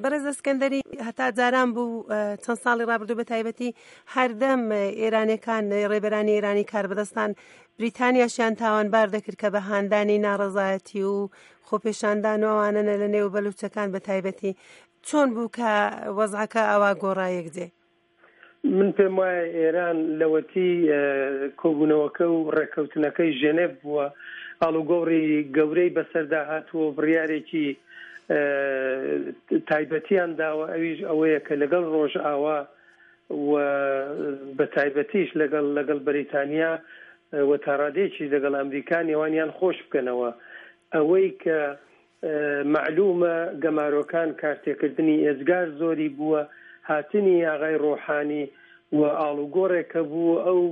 بەڕێز ئەسکەندەری هەتا جاران بوو چەند ساڵی ڕابردوو بە تایبەتی هەردەم ئێرانەکان ڕێبەرانی ئێرانی کاربەدەستان بریتانیاشیان تاوانبار دەکرد کە بە هاندانی ناڕەزایەتی و خۆپێشاندان و ئەوانەنە لە نێو بەلوچەکان بە تایبەتی چۆن بوو کە وەزعەکە ئەوا گۆڕا یەکجێ؟ من پێم وایە ئێران لەوەتی کۆبوونەوەکە و ڕێککەوتنەکەی ژێنێڤ بووە، ئاڵوگۆڕی گەورەی بەسەردا هاتووە و بڕیارێکی تایبەتیان داوە، ئەویش ئەوەیە کە لەگەڵ ڕۆژئاوا و بە تایبەتیش لەگەڵ لەگەڵ بەریتانیا و تاڕادەیەکیش لەگەڵ ئەمریکا نێوانیان خۆش بکەنەوە. ئەوەی کە مەعلومە گەمارۆکان کارتێکردنی ئێجگار زۆری بووە، هاتنی ئاغای ڕۆحانی و ئاڵوگۆڕێک کە بوو ئەو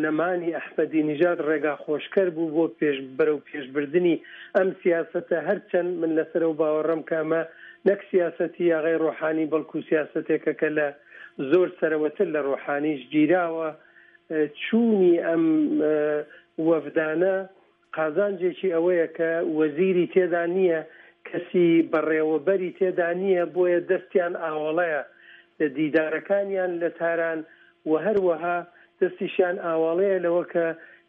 نەمانی ئەحمەدی نژاد ڕێگا خۆشکەر بوو بۆ پێش بەرەو پێشبردنی ئەم سیاسەتە هەرچەند من لەسەر ئەو باوەڕەم کە ئەمە نەک سیاسەتی ئاغای ڕۆحانی بەڵکو سیاسەتێکە کە لە زۆر سەرەوەتر لە ڕۆحانیش گیراوە چوونی ئەم وەفدانە قازانجێکی ئەوەیە کە وەزیری تێدا نییە، کەسی بەڕێوەبەری تێدا نییە، بۆیە دەستیان ئاوەڵەیە لە دیدارەکانیان لە تاران و هەروەها دەستیشیان ئاواڵەیە لەوە کە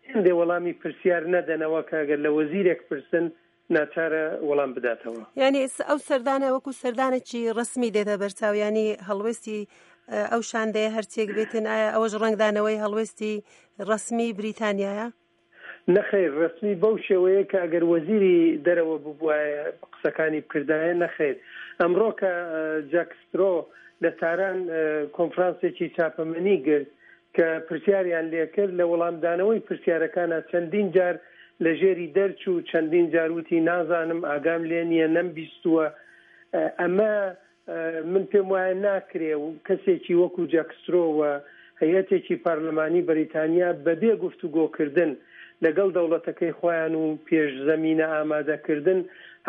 هێندێ وەڵامی پرسیار نەدەنەوە کە گەر لە وەزیرێک پرسن ناچارە وەڵام بداتەوە. یانی ئەو سەردانە وەکوو سەردانێکی ڕەسمی دێتە بەرچاو، یانی هەڵوێستی ئەو شاندەیە هەرچیەک بێتن ئایا ئەوەش ڕەنگدانەوەی هەڵوێستی ڕەسمی بریتانیایە؟ نەخەیر رەسمی بەو شێوەیە کە ئەگەر وەزیری دەرەوە ببوایە قسەکانی بکردایە نەخەیر ئەمڕۆ کە جاک سترۆ لە تاران کۆنفرانسێکی چاپەمەنی گرت کە پرسیاریان لێکرد لە وەڵامدانەوەی پرسیارەکانا چەندین جار لە ژێری دەرچوو چەندین جار وتی نازانم ئاگام لێ نییە نەمبیستووە ئەمە من پێم وایە ناکرێ کەسێکی وەکو جاک سترۆ و هەیئەتێکی پارلەمانی بەریتانیا بەبێ گفتوگۆکردن لەگەڵ دەوڵەتەکەی خۆیان و پێش زەمینە ئامادەکردن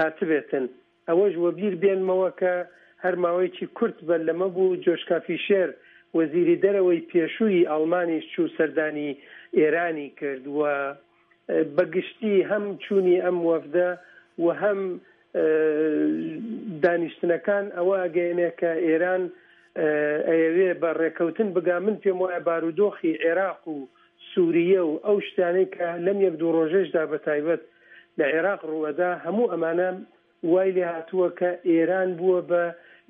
هاتبێتن. ئەوەش وەبیر بێنمەوە کە هەر ماوەیەکی کورت بەر لەمە بوو جۆشکا فیشێر وەزیری دەرەوەی پێشووی ئاڵمانیش چوو سەردانی ئێرانی کرد و بە گشتی هەم چوونی ئەم وەفدە و هەم دانیشتنەکان ئەوە ئەگەیەنێ کە ئێران ئەیەوێ بە ڕێکەوتن بگا، من پێم وایە بارودۆخی عێراق و سوریە و ئەو شتانەی کە لەم یەک دوو ڕۆژەشدا بە تایبەت لە عێراق ڕووئەدا هەموو ئەمانە وای لێهاتووە کە ئێران بووە بە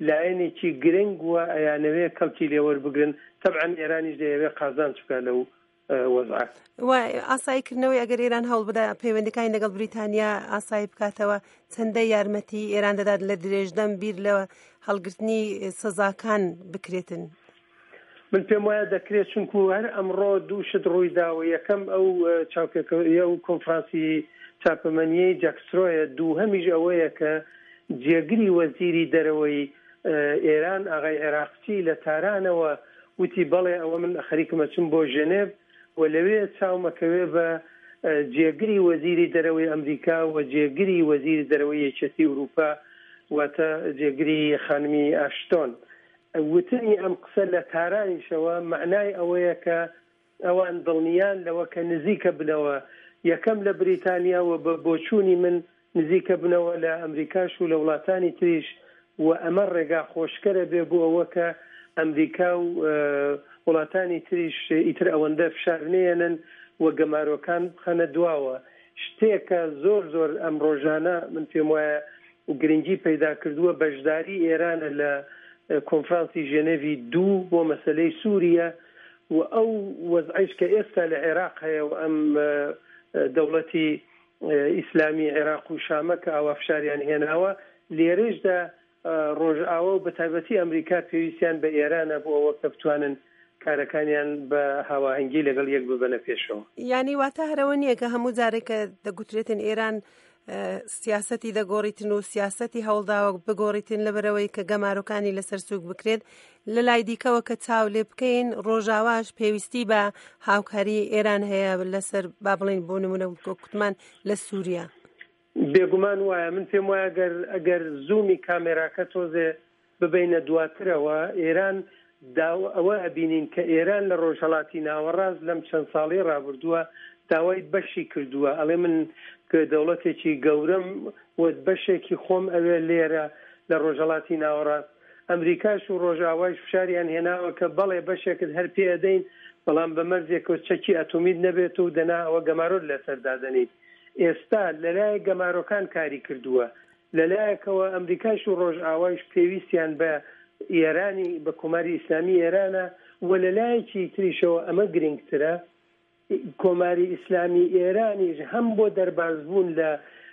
لایەنێکی گرنگ و ئەیانەوێ کەڵکی لێوەربگرن، تەبعەن ئێرانیش دەیەوێ قازانج بکا لەو وەزعە. و ئاسایی کردنەوەی ئەگەر ئێران هەوڵ بدا پەیوەندەکانی لەگەڵ بریتانیا ئاسایی بکاتەوە چەندە یارمەتی ئێران دەدات لە درێژدەم بیر لە هەڵگرتنی سزاکان بکرێتن؟ من پێم وایە دەکرێت چونکو هەر ئەمڕۆ دوو شت ڕووی داوە یەکەم ئەو چاوپێکەوە و کۆنفرانسی چاپەمەنیەی جاکسترۆیە دووهەمیش ئەوەیە کە جێگری وەزیری دەرەوەی ئێران ئاغای عێراقچی لە تارانەوە وتی بەڵێ ئەوە من خەریکم ئەچم بۆ ژێنێڤ و لەوێ چاوم ئەکەوێ بە جێگری وەزیری دەرەوەی ئەمریکا و جێگری وەزیری دەرەوەی یەکێتی ئورووپا واتە جێگری خانمی ئاشتۆن. وتنی ئەم قسە لە تارانیشەوە مەعنای ئەوەیە کە ئەوان دڵنیان لەوە کە نزیکە بنەوە یەکەم لە بریتانیا و بە بۆچوونی من نزیکە بنەوە لە ئەمریکاش و لە وڵاتانی تریش و ئەمە ڕێگا خۆشکەرە بێ بۆ ئەوە کە ئەمریکا و وڵاتانی تریش ئیتر ئەوەندە فشار نەیەنن و گەمارۆکان بخەنە دواوە. شتێکە زۆر زۆر ئەم ڕۆژانە من پێم وایە گرنگی پەیدا کردووە بەشداری ئێرانە لە کۆنفرانسی ژێنێڤی دوو بۆ مەسەلەی سووریە و ئەو وەزعەیش کە ئێستا لە عێراق هەیە و ئەم دەوڵەتی ئیسلامی عێراق و شامە کە ئاوا فشاریان هێناوە، لێرەیشدا ڕۆژئاوا و بەتایبەتی ئەمریکا پێویستیان بە ئێرانە بۆ ئەوە کە بتوانن کارەکانیان بە هاواهەنگی لەگەڵ یەک ببەنە پێشەوە. یانی واتە هەر ئەوە نییە کە هەموو جارێک کە دەگوترێتن ئێران سیاسەتی دەگۆڕیتن و سیاسەتی هەوڵداوە بگۆڕیتن لەبەرەوەی کە گەمارۆکانی لەسەر سوک بکرێت لە لای دیکەوە کە چاو لێ بکەین ڕۆژاواش پێویستی بە هاوکاری ئێران هەیە لەسەر با بڵین بۆ نمونە کوتمان لە سووریا. بێگومان وایە من پێم وایە گەر ئەگەر زوومی کامێراکە تۆزێ ببەینە دواترەوە ئێران داو ئەوە ئەبینین کە ئێران لە ڕۆژهەڵاتی ناوەڕاست لەم چەند ساڵەی ڕابردووە داوای بەشی کردووە ئەڵێ من دەوڵەتێکی گەورەم و بەشێکی خۆم ئەوێ لێرە. لە ڕۆژهەڵاتی ناوەڕاست. ئەمریکاش و ڕۆژئاوایش فشاریان هێناوە کە بەڵێ بەشێکت هەر پێ ئەدەین بەڵام بە مەرجێکەوە چەکی ئەتۆمیت نەبێت و دەنا ئەوە گەمارۆت لەسەر دادەنێین. ئێستا لەلایەک گەمارۆکان کاری کردووە، لەلایەکەوە ئەمریکاش و ڕۆژئاوایش پێویستیان بە ئێرانی بە کۆماری ئیسلامی ئێرانە و لەلایەکی تریشەوە ئەمە گرنگترە کۆماری ئیسلامی ئێرانیش هەم بۆ دەربازبوون لە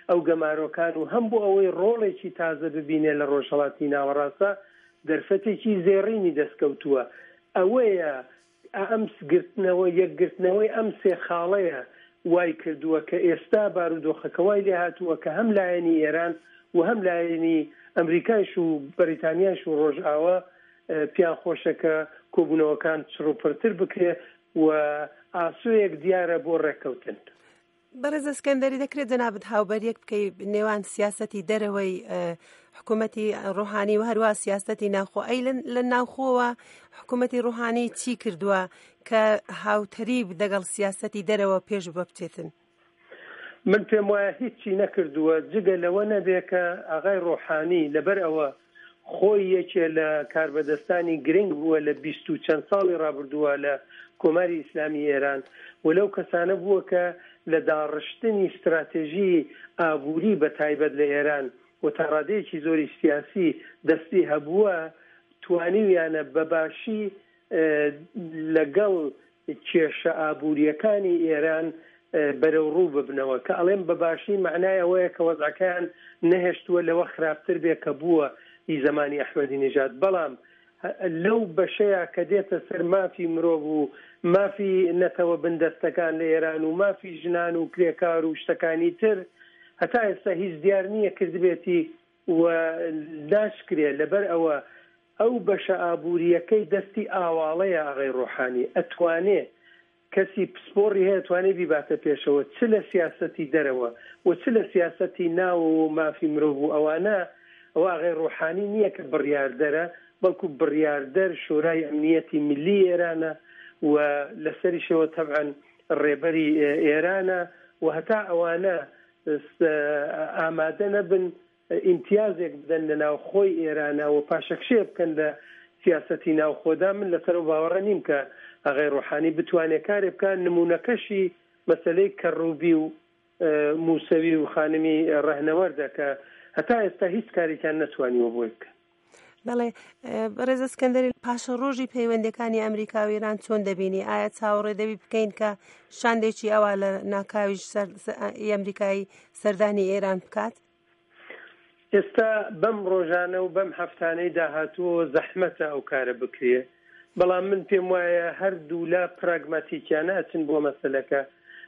ئەو گەمارۆکان و هەم بۆ ئەوەی ڕۆڵێکی تازە ببینێ لە ڕۆژهەڵاتی ناوەڕاستدا دەرفەتێکی زێڕینی دەستکەوتووە. ئەوەیە ئەم گرتنەوە یەکگرتنەوەی ئەم سێ خاڵەیە وای کردووە کە ئێستا بارودۆخەکە وای لێهاتووە کە هەم لایەنی ئێران و هەم لایەنی ئەمریکایش و بەریتانیایش و ڕۆژئاوا پێیان خۆشە کە کۆبوونەوەکان چڕوپڕتر بکرێ و ئاسۆیەک دیارە بۆ ڕێککەوتن. بەڕێز ئەسکەندەری دەکرێت جەنابت هاوبەریەک بکەی نێوان سیاسەتی دەرەوەی حکوومەتی ڕۆحانی و هەروە سیاسەتی ناوخۆ ئەی لە ناوخۆوە حکوومەتی ڕۆحانی چی کردووە کە هاوتەریب دەگەڵ سیاسەتی دەرەوە پێش بە بچێتن؟ من پێم وایە هیچی نەکردووە جگە لەوە نەبێ کە ئاغای ڕۆحانی لەبەر ئەوە خۆی یەکێ لە کاربەدەستانی گرنگ بووە لە بیست و چەند ساڵی ڕابردووە لە کۆماری ئیسلامی ئێران و لەو کەسانە بووە کە لە داڕشتنی ستراتێژی ئابووری بە تایبەت لە ئێران و تا ڕادەیەکی زۆری سیاسی دەستی هەبووە توانیویانە بە باشی لەگەڵ کێشە ئابوورییەکانی ئێران بەرەوڕوو ببنەوە. کە ئەڵێم بە باشی مەعنای ئەوەیە کە وەزعەکەیان نەهێشتووە لەوە خراپتر بێ کە بووە ئی زەمانی ئەحمەدی نژاد. بەڵام لەو بەشەیا کە دێتە سەر مافی مرۆڤ و مافی نەتەوە بندەستەکان لە ئێران و مافی ژنان و کرێکار و شتەکانی تر هەتا ئێستا هیچ دیار نییە کردبێتی و ناشکرێ لەبەر ئەوە ئەو بەشە ئابوورییەکەی دەستی ئاواڵەیە ئاغای ڕۆحانی ئەتوانێ کەسی پسپۆڕی هەیە ئەتوانێ بیباتە پێشەوە چ لە سیاسەتی دەرەوە و چ لە سیاسەتی ناوەوە و مافی مرۆڤ و ئەوانە ئەوە ئاغای ڕۆحانی نییە کە بڕیاردەرە بەڵکو بڕیاردەر شۆرای ئەمنییەتی میللی ئێرانە و لەسەریشەوە تەبعەن ڕێبەری ئێرانە و هەتا ئەوانە ئامادە نەبن ئیمتیازێک بدەن لە ناوخۆی ئێرانە و پاشەکشێ بکەن لە سیاسەتی ناوخۆدا، من لەسەر ئەو باوەڕە نیم کە ئاغای ڕۆحانی بتوانێ کارێ بکا، نموونەکەشی مەسەلەی کەڕوبی و موسەوی و خانمی ڕەهنەوەردە کە هەتا ئێستا هیچ کارێکیان نەتوانیوە بۆی بکەن. بەڵێ بەڕێز ئەسکەندەری پاشەڕۆژی پەیوەندەکانی ئەمریکا و ئێران چۆن دەبینی ئایا چاوەڕێ دەبی بکەین کە شاندێکی ئەوە لە ناکاویش ئەمریکایی سەردانی ئێران بکات؟ ئێستا بەم ڕۆژانە و بەم هەفتانەی داهاتووەوە زەحمەتە ئەو کارە بکرێ بەڵام من پێم وایە هەردوولا پراگماتیکیانە ئەچن بۆ مەسەلەکە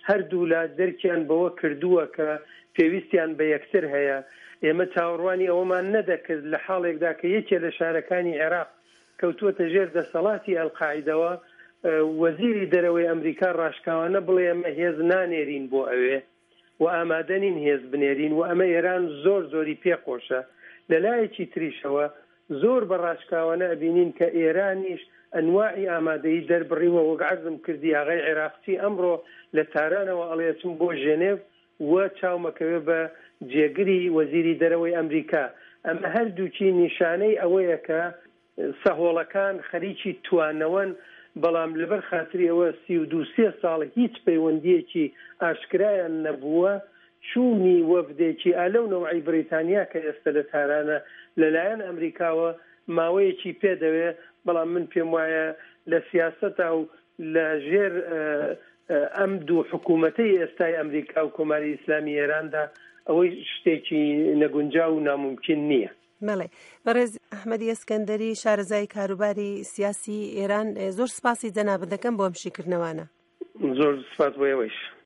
هەردوولا دەرکیان بەوە کردووە کە پێویستیان بە یەکتر هەیە. ئێمە چاوەڕوانی ئەوەمان نەدەکرد لە حاڵێکدا کە یەکێ لە شارەکانی عێراق کەوتووەتە ژێر دەسەڵاتی ئەلقاعیدەوە، وەزیری دەرەوەی ئەمریکا ڕاشکاوانە بڵێ ئێمە هێز نانێرین بۆ ئەوێ و ئامادە نین هێز بنێرین و ئەمە ئێران زۆر زۆری پێ خۆشە. لە لایەکی تریشەوە زۆر بە ڕاشکاوانە ئەبینین کە ئێرانیش ئەنواعی ئامادەیی دەربڕیوە وەک عەرزم کردی ئاغای عێراقچی ئەمڕۆ لە تارانەوە ئەڵێ ئەچم بۆ ژێنێڤ و چاومەکەوێ بە جێگری وەزیری دەرەوەی ئەمریکا ئەمە هەردووکی نیشانەی ئەوەیە کە سەهۆڵەکان خەریکی توانەوەن بەڵام لەبەر خاتری ئەوە 32 سێ ساڵ هیچ پەیوەندییەکی ئاشکرایان نەبووە چوونی وەفدێکی ئا لەو نەوعەی بریتانیا کە ئێستە لە تارانە لە لایەن ئەمریکاوە ماوەیەکی پێ دەوێ، بەڵام من پێم وایە لە سیاسەتا و لە ژێر ئەم دوو حکوومەتەی ئێستای ئەمریکا و کۆماری ئیسلامی ئێراندا ئەوەی شتێکی نەگونجاو و نامومکین نییە. بەڵێ بەڕێز ئەحمەدی ئەسکەندەری شارەزای کاروباری سیاسی ئێران زۆر سپاسی جەنابت دەکەم بۆ ئەم شیکردنەوانە. زۆر سپاس بۆ ئێوەیش.